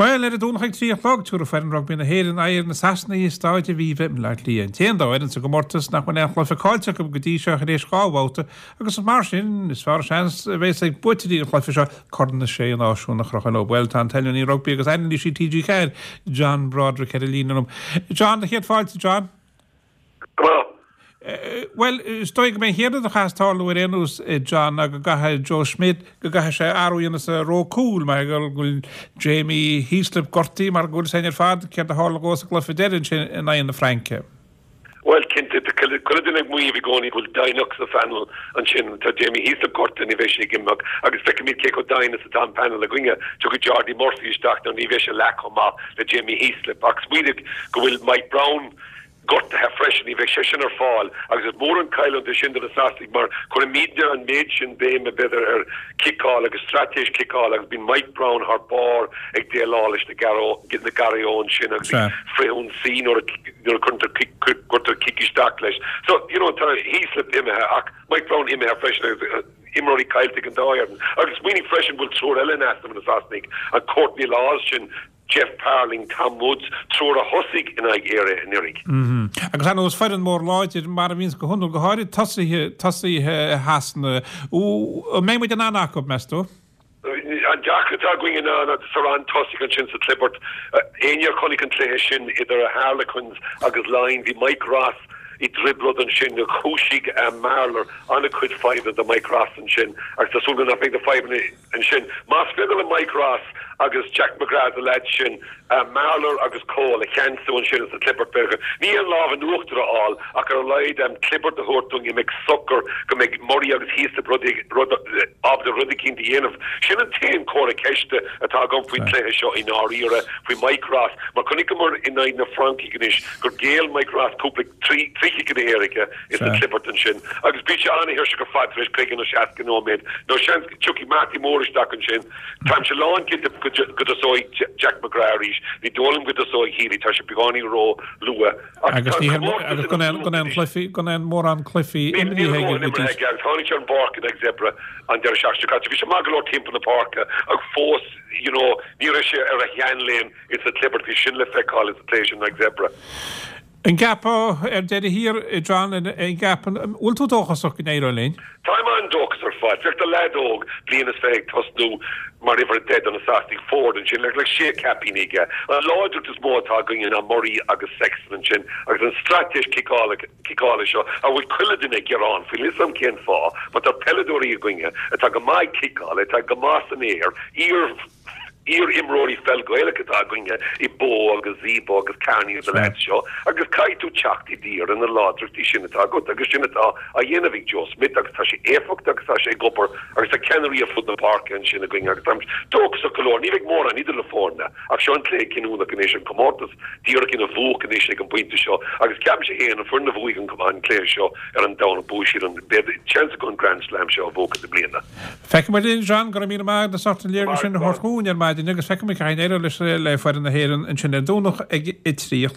Bhuel, ar an Domhnach ag 3 a chlog, tabharfaidh foireann rugbaí na hÉireann aghaidh ar na Sasanaigh i Staid Aviva i mBaile Átha Cliath. An t-aon dá fhoireann sa gcomórtas nach bhfuil aon chluiche caillte acu go dtí seo tar éis 2 bhabhta agus mar sin is fearr seans a bheas ag buaiteoirí an chluiche seo Corn na Sé Náisiún a chrochadh leo. Bhuel, tá an t-oiliúnaí rugbaí agus anailísí TG4, John Broderick ar an líne liom. John, do chéad fáilte, John. Go maith. Bhuel, is dóigh go mbeidh an chéad rud a chaithfeas tarlú ar aon nós, John, ná go gcaithfidh Joe Schmidt, go gcaithfidh sé athrú a dhéanamh sa ró cúil, mar go bhfuil Jamie Heaslip gortaithe, mar go bhfuil a fhios againn ar fad céard a tharla dhó sa gcluiche deiridh ansin in aghaidh na Fraince. Bhuel, cinnte, tá chuile duine ag maíomh i gcónaí go bhfuil doimhneacht sa phainéal ansin. Tá Jamie Heaslip gortaithe, ní bheidh sé ag imirt agus feicfimid cé chomh doimhin is atá an painéal againne. Tiocfaidh Jordi Murphy isteach now ní bheidh sé leath chomh maith le Jamie Heaslip ach smaoinigh go bhfuil Mike Brown gortaithe freisin, ní bheidh seisean ar fáil agus is mór an chailliúint é sin do na Sasanaigh mar cuirimidne an méid sin béime, b'fhéidir, ar chiceáil agus straitéis chiceála agus bíonn Mike Brown thar barr ag déileáil leis na garraí sin agus ag frithionsaí nuair a cuirtear cic isteach leis. So, you know, tá Heaslip imithe ach Mike Brown imithe freisin agus imreoirí caillte ag an dá fhoireann. Agus smaoinigh freisin go bhfuil triúr eile in easnamh na Sasanaigh, an Courtney Lawes sin, Geoff Parling, Tom Woods, triúr a thosaigh in aghaidh Éire anuraidh. Agus ar ndóigh is foireann mór láidir, mar a bhíonns go hiondúil, go háirid tosaithe, tosaithe Shasana. An mbeidh muid in ann acu, meas tú? An deacracht atá againne ná sa roinn tosaigh ansin sa chlibirt. Éinne a chonaic an cluiche sin idir Harlequins agus Laighin, bhí Mike Ross i dtrioblóid ansin. Chúisigh Marler an-chuid fadhbanna do Mike Ross ansin agus tá súil agam nach mbeidh na fadhbanna Ansin, más féidir le Mike Ross agus Jack McGrath, na leaids sin, Marler agus Cole a cheansú ansin sa chlibirt, b'fhéidir, ní an lámh in uachtar a fháil ach ar a laghad clibirt a thabhairt dúinn a mbeidh socair, go mbeidh Murray agus Heaslip rud, ábalta rud eicínt a dhéanamh. Sin an t-aon chomhartha ceiste atá agam faoin chluiche seo i ndáiríre, faoi Mike Ross, mar chonaiceamar in aghaidh na Francaigh anois gur ghéill Mike Ross cúpla trí chiceanna éirice sa chlibirt ansin agus bíonn sé an-tuirseach ar fad tar éis 50 nó 60 nóiméad nó seans go tiocfaidh Marty Moore isteach ansin. Táimse lánchinnte go dtosóidh Jack McGrath arís. Ní dóigh liom go dtosóidh Healy, tá sé beagáinín ró-luath. Ach Agus tá an comórtas agus gan aon gan aon chluichí gan aon mórán cluichí Níl imeartha aige go dtí aige agus tháinig sé ar an bpáirc in aghaidh Zebre an deireadh seachtaine seo caite. Bhí sé maith go leor timpeall na páirce ach fós you know ní raibh sé ar a sheanléim ins an chlibirt. Bhí sin le feiceáil ins an cluiche sin in aghaidh Zebre. An gceapfá ar deireadh thiar, a John, an gceapann, an bhfuil tú dóchasach go n-éireoidh linn? Táim an-dóchasach ar fad. Féach, tá leaid óg, bliain is 20 ag tosnú mar uimhir 10 do na Sasanaigh, Ford ansin, le le sé caipín aige. An láidreacht is mó atá againne ná Murray agus Sexton ansin agus an straitéis ciceála ciceála seo a bhfuil chuile duine ag gearán faoi. Níl 'fhios a'm cén fáth, mar tá peileadóirí againne atá go maith ag ciceáil, atá go maith san aer, iar Iar-imreoirí pheil Gaelach atá againne i Bowe agus Zebo agus Kearney agus na leaids seo agus caithfidh tú teacht i dtír ar na láidreachtaí sin atá agat agus sin atá á dhéanamh ag Joe Schmidt agus tá sé éifeachtach agus tá sé ag obair agus tá ceannairí ar fud na páirce ansin againne agus táim dóchasach go leor. Ní bheidh mórán idir na foirne ach seo an cluiche cinniúnach anois, an comórtas díreach ina bhuaic anois ag an bpointe seo agus ceapaimse féin an foireann a bhuafaidh an cluiche seo ar an Domhnach buafaidh siad an, beidh seans acu an Grand Slam seo a bhuachan i mbliana. Feicfidh muid linn, John, go raibh míle maith agat as ucht an léargas sin a thabhairt dhúinn ar maidin agus feicfidh muid cá n-éireoidh leis le foireann na hÉireann ansin ar Domhnach ag a 3 a chlog.